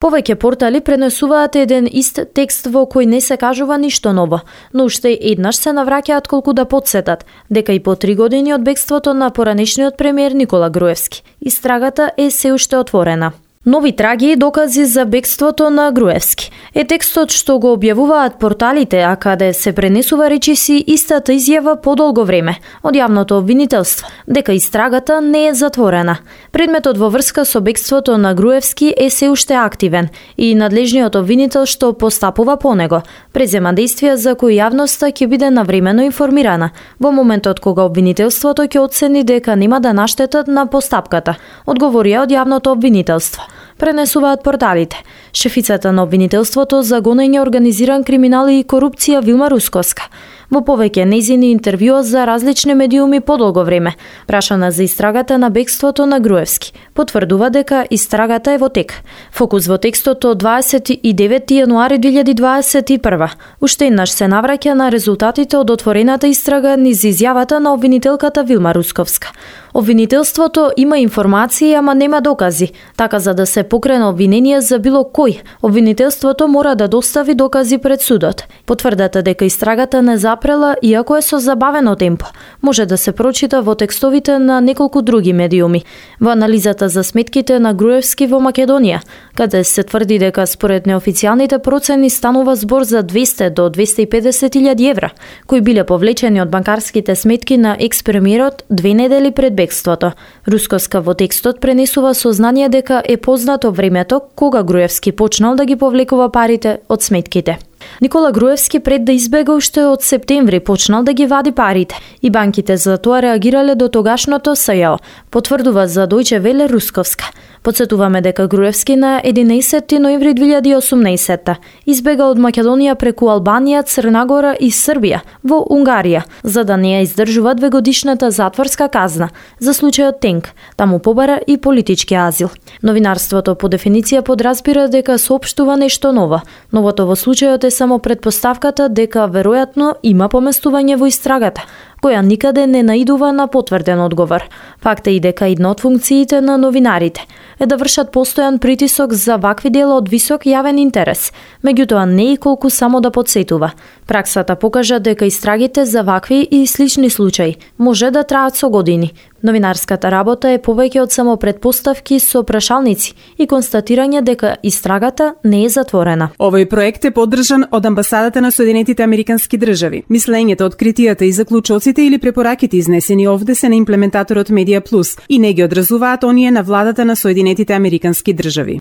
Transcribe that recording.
Повеќе портали пренесуваат еден ист текст во кој не се кажува ништо ново, но уште еднаш се навраќаат колку да потсетат дека и по 3 години од бегството на поранешниот премиер Никола Груевски, истрагата е се уште отворена. Нови траги и докази за бегството на Груевски е текстот што го објавуваат порталите, а каде се пренесува речиси истата изјава подолго време од јавното обвинителство, дека истрагата не е затворена. Предметот во врска со бегството на Груевски е се уште активен и надлежниот обвинител што постапува по него презема действија за кои јавноста ќе биде навремено информирана во моментот кога обвинителството ќе оцени дека нема да наштетат на постапката, одговорија од јавното обвинителство. Пренесуваат порталите. Шефицата на обвинителството за гонење организиран криминал и корупција Вилма Русковска во повеќе нејзини интервјуа за различни медиуми подолго време, прашана за истрагата на бегството на Груевски, потврдува дека истрагата е во тек. Фокус во текстот од 29 јануари 2021 уште еднаш се навраќа на резултатите од отворената истрага низ изјавата на обвинителката Вилма Русковска. Обвинителството има информации, ама нема докази. Така за да се покрена обвинение за било кој, обвинителството мора да достави докази пред судот. Потврдата дека истрагата не запрела, иако е со забавено темпо, може да се прочита во текстовите на неколку други медиуми. Во анализата за сметките на Груевски во Македонија, каде се тврди дека според неофицијалните процени станува збор за 200 до 250.000 евра, кои биле повлечени од банкарските сметки на екс-премиерот 2 недели пред бегството. Русковска во текстот пренесува сознание дека е познато времето кога Груевски почнал да ги повлекува парите од сметките. Никола Груевски пред да избега уште од септември почнал да ги вади парите и банките за тоа реагирале до тогашното СЈО, потврдува за Дојче Веле Русковска. Подсетуваме дека Груевски на 11 ноември 2018 избега од Македонија преку Албанија, Црна Гора и Србија во Унгарија, за да не ја издржува 2-годишната затворска казна за случајот Тенк, таму побара и политички азил. Новинарството по дефиниција подразбира дека соопштува нешто ново. Новото во случајот е само предпоставката дека веројатно има поместување во истрагата, која никаде не наидува на потврден одговор. Факт е и дека една од функциите на новинарите е да вршат постојан притисок за вакви дела од висок јавен интерес, меѓутоа не и колку само да подсетува. Праксата покажа дека истрагите за вакви и слични случаи може да траат со години. Новинарската работа е повеќе од само предпоставки со прашалници и констатирање дека истрагата не е затворена. Овој проект е поддржан од амбасадата на Соединетите Американски држави. Мислењето, откритијата и заклучоците или препораките изнесени овде се на имплементаторот Медија Плюс и не ги одразуваат оние на владата на Соединетите Американски држави.